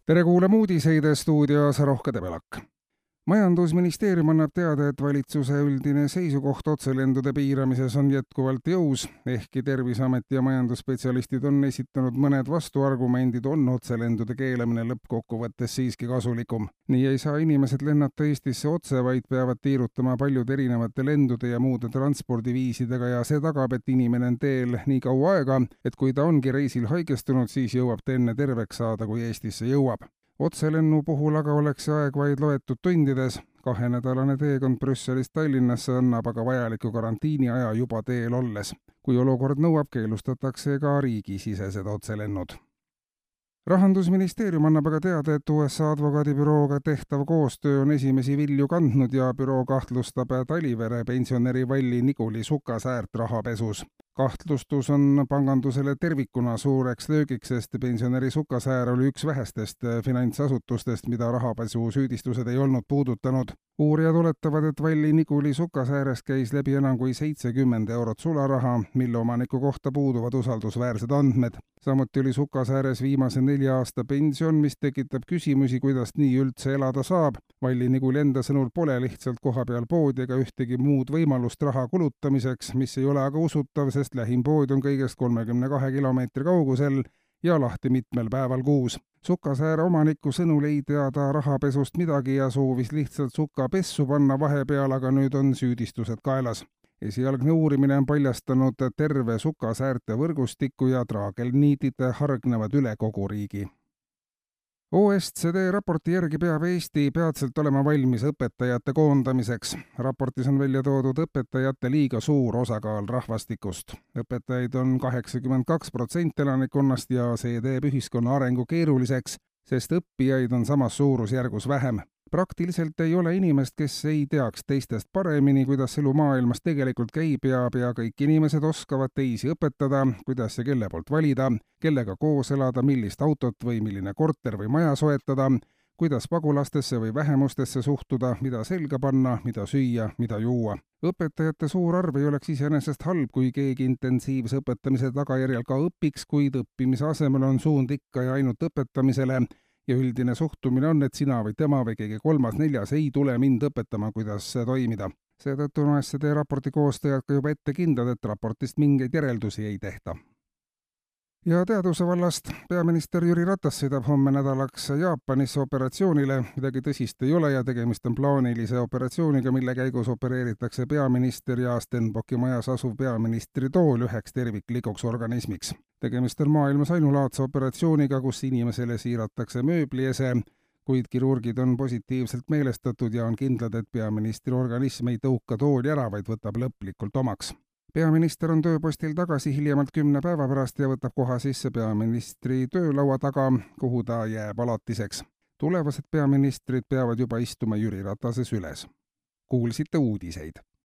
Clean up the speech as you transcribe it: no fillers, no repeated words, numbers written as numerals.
Tere kuulama uudiseid stuudios Rohke Debelak. Majandusministeerium annab teada, et valitsuse üldine seisukoht otselendude piiramises on jätkuvalt jõus, ehkki Terviseameti ja majandusspetsialistid on esitanud mõned vastuargumendid, on otselendude keelamine lõppkokkuvõttes siiski kasulikum. Nii ei saa inimesed lennata Eestisse otse, vaid peavad tiirutama paljude erinevate lendude ja muude transpordiviisidega ja see tagab, et inimene on teel nii kaua aega, et kui ta ongi reisil haigestunud, siis jõuab ta enne terveks saada, kui Eestisse jõuab. Otselennu puhul aga oleks see aeg vaid loetud tundides. 2-nädalane teekond Brüsselist Tallinnasse annab aga vajaliku karantiini aja juba teel olles. Kui olukord nõuab, keelustatakse ka riigisisesed otselennud. Rahandusministeerium annab aga teada, et USA advokaadibürooga tehtav koostöö on esimesi vilju kandnud ja büroo kahtlustab Talivere pensionäri Valli Niguli Sukasäärt rahapesus. Kahtlustus on pangandusele tervikuna suureks löögiks, sest pensionäri Sukasäär oli üks vähestest finantsasutustest, mida rahapesu süüdistused ei olnud puudutanud. Uurijad oletavad, et Valli Niguli Sukasäärest käis läbi enam kui 70 eurot sularaha, mille omaniku kohta puuduvad usaldusväärsed andmed. Samuti oli Sukasääres viimase 4 aasta pension, mis tekitab küsimusi, kuidas nii üldse elada saab. Valli Niguli enda sõnul pole lihtsalt kohapeal poodi ega ühtegi muud võimalust raha kulutamiseks, mis ei ole aga usutav, sest lähim pood on kõigest 32 kilomeetri kaugusel ja lahti mitmel päeval kuus. Sukasääre omaniku sõnul ei tea ta rahapesust midagi ja soovis lihtsalt suka pessu panna vahepeal, aga nüüd on süüdistused kaelas. Esialgne uurimine on paljastanud terve Sukasäärte võrgustiku ja traagelniidid hargnevad üle kogu riigi. OSCD raporti järgi peab Eesti peatselt olema valmis õpetajate koondamiseks. Raportis on välja toodud õpetajate liiga suur osakaal rahvastikust. Õpetajaid on 82% elanikkonnast ja see teeb ühiskonna arengu keeruliseks, sest õppijaid on samas suurusjärgus vähem. Praktiliselt ei ole inimest, kes ei teaks teistest paremini, kuidas elu maailmas tegelikult käib ja kõik inimesed oskavad teisi õpetada, kuidas ja kelle poolt valida, kellega koos elada, millist autot või milline korter või maja soetada, kuidas pagulastesse või vähemustesse suhtuda, mida selga panna, mida süüa, mida juua. Õpetajate suur arv ei oleks iseenesest halb, kui keegi intensiivse õpetamise tagajärjel ka õpiks, kuid õppimise asemel on suund ikka ja ainult õpetamisele. Ja üldine suhtumine on, et sina või tema või keegi 3., 4. ei tule mind õpetama, kuidas toimida. Seetõttu on OSCD raporti koostajad ka juba ette kindlad, et raportist mingeid järeldusi ei tehta. Ja teaduse vallast peaminister Jüri Ratas sõidab homme nädalaks Jaapanisse operatsioonile. Midagi tõsist ei ole ja tegemist on plaanilise operatsiooniga, mille käigus opereeritakse peaminister ja Stenbocki majas asuv peaministri tool üheks terviklikuks organismiks. Tegemist on maailmas ainulaadse operatsiooniga, kus inimesele siiratakse mööbliese, kuid kirurgid on positiivselt meelestatud ja on kindlad, et peaministri organism ei tõuka tooli ära, vaid võtab lõplikult omaks. Peaminister on tööpostil tagasi hiljemalt 10 päeva pärast ja võtab koha sisse peaministri töölaua taga, kuhu ta jääb alatiseks. Tulevased peaministrid peavad juba istuma Jüri Ratase süles. Kuulsite uudiseid.